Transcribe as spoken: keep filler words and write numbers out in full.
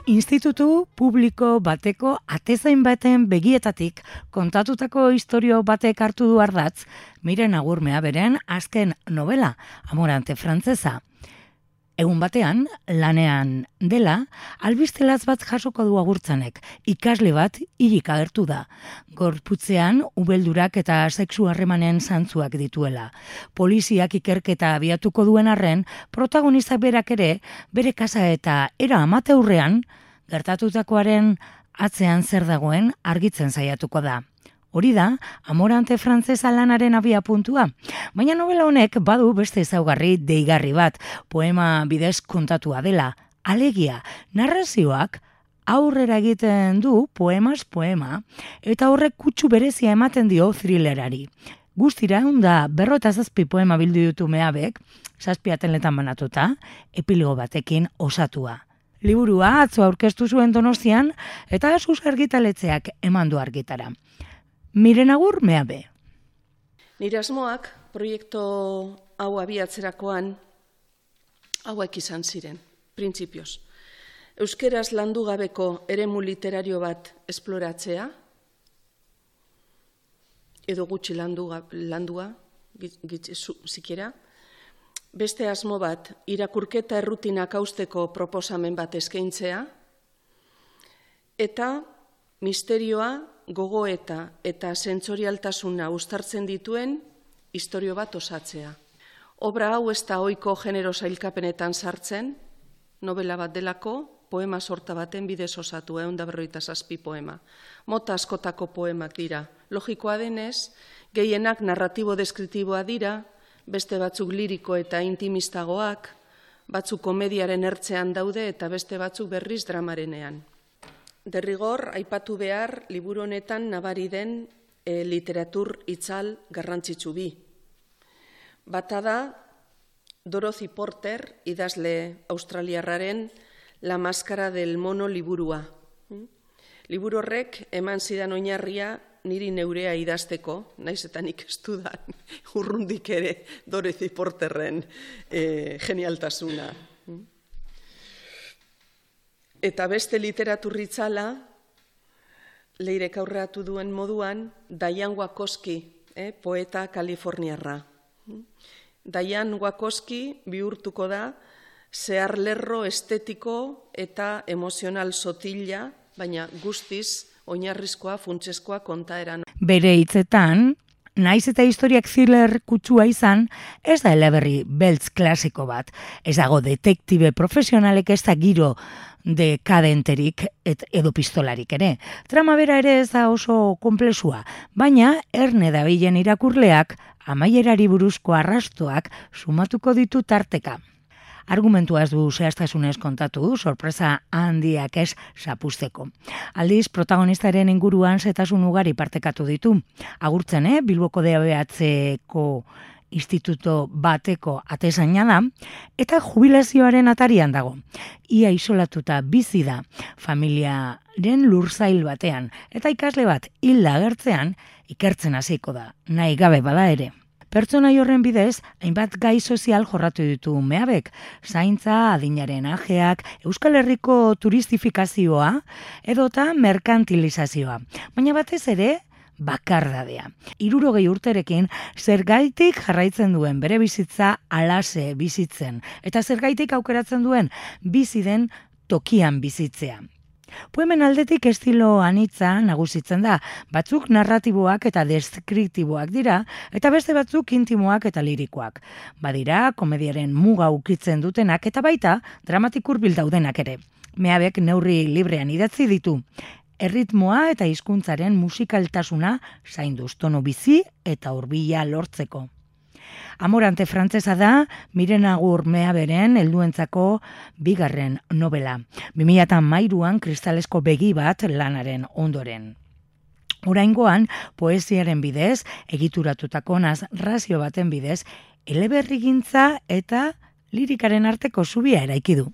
Institutu publiko bateko atezain baten begietatik kontatutako istorio batek hartu du ardatz Miren Agur Meaberen azken novela, Amorante frantsesa. Egun batean, lanean dela, albistelaz bat jasoko du Agurtzanek, ikasle bat hilik agertu da. Gorputzean, ubeldurak eta sexu harremanen zantzuak dituela. Poliziak ikerketa abiatuko duen arren, protagonistak berak ere, bere kasa eta era amateurrean, gertatutakoaren atzean zer dagoen argitzen saiatuko da. Hori da, Amorante frantsesa lanaren abia puntua. Baina novela honek badu beste ezaugarri deigarri bat, poema bidez kontatua dela. Alegia, narrazioak aurrera egiten du poemas poema, eta horrek kutsu berezia ematen dio thrillerari. Guztira, da berrota zazpi poema bildu ditu Meabek, zazpi ateletan banatuta, epilogo batekin osatua. Liburua atzo aurkeztu zuen Donostian, eta Asus argitaletxeak eman du argitara. Miren Agur Meabe. Nire asmoak proiektu hau abiatzerakoan hauek izan ziren, printzipioz. Euskeraz landu gabeko eremu literario bat esploratzea, edo gutxi landu, landua, zikera. Beste asmo bat, irakurketa errutinak hausteko proposamen bat eskaintzea, eta misterioa, gogoeta eta sentsorialtasuna uztartzen dituen istorio bat osatzea. Obra hau ez da ohiko genero sailkapenetan sartzen, novela bat delako, poema sorta baten bidez osatu, ehun eta berrogeita zazpi poema. Mota askotako poemak dira. Logikoa denez, gehienak narratibo-deskriptiboa dira, beste batzuk liriko eta intimistagoak, batzuk komediaren ertzean daude eta beste batzuk berriz dramarenean. Derrigor, aipatu behar, liburu honetan nabari den e, literatur itzal garrantzitsu bi. Bata da, Dorothy Porter, idazle australiarraren La Máscara del Mono liburua. Liburu horrek eman zidan oinarria niri neurea idazteko, naiz eta nik ez dudan urrundik ere Dorothy Porterren e, genialtasuna. Eta beste literaturritzala, Leirek aurreatu duen moduan, Diane Wakoski, eh, poeta kaliforniarra. Diane Wakoski bihurtuko da zehar lerro estetiko eta emozional sotila, baina guztiz oinarrizkoa, funtseskoa kontaeran. Bere hitzetan, naiz eta historiak thriller kutsua izan, ez da eleberri beltz klasiko bat. Ez dago detektibe profesionalek ez da giro dekadenterik et, edo pistolarik ere. Trama bera ere ez da oso konplexua, baina erne dabilen irakurleak amaierari buruzko arrastoak sumatuko ditu tarteka. Argumentua ez du zehaztasunez kontatu, sorpresa handiak ez zapusteko. Aldiz, protagonistaren inguruan zetasun ugari partekatu ditu. Agurtzen, eh? Bilboko D A B H-ko instituto bateko atezaina da, eta jubilazioaren atarian dago. Ia isolatuta bizi da familiaren lurzail batean, eta ikasle bat hilda agertzean ikertzen hasiko da, nahi gabe bada ere. Pertsonai horren bidez, hainbat gai sozial jorratu ditu Meabek, zaintza, adinaren ajeak, Euskal Herriko turistifikazioa edota merkantilizazioa. Baina batez ere, bakardadea. Hirurogei urterekin zergaitik jarraitzen duen bere bizitza alase bizitzen, eta zergaitik aukeratzen duen bizi den tokian bizitzea. Poemen aldetik estilo anitza nagusitzen da, batzuk narratiboak eta deskriptiboak dira, eta beste batzuk intimoak eta lirikoak. Badira, komediaren muga ukitzen dutenak eta baita dramatik hurbil daudenak ere. Meabek neurri librean idatzi ditu. Erritmoa eta hizkuntzaren musikaltasuna zainduz tono bizi eta hurbila lortzeko. Amorante frantsesa da Miren Agur Meaberen helduentzako bigarren novela. bi mila hamairuan kristalesko begi bat lanaren ondoren. Oraingoan, poesiaren bidez, egituratutako narrazio baten bidez, eleberrigintza eta lirikaren arteko zubia eraiki du.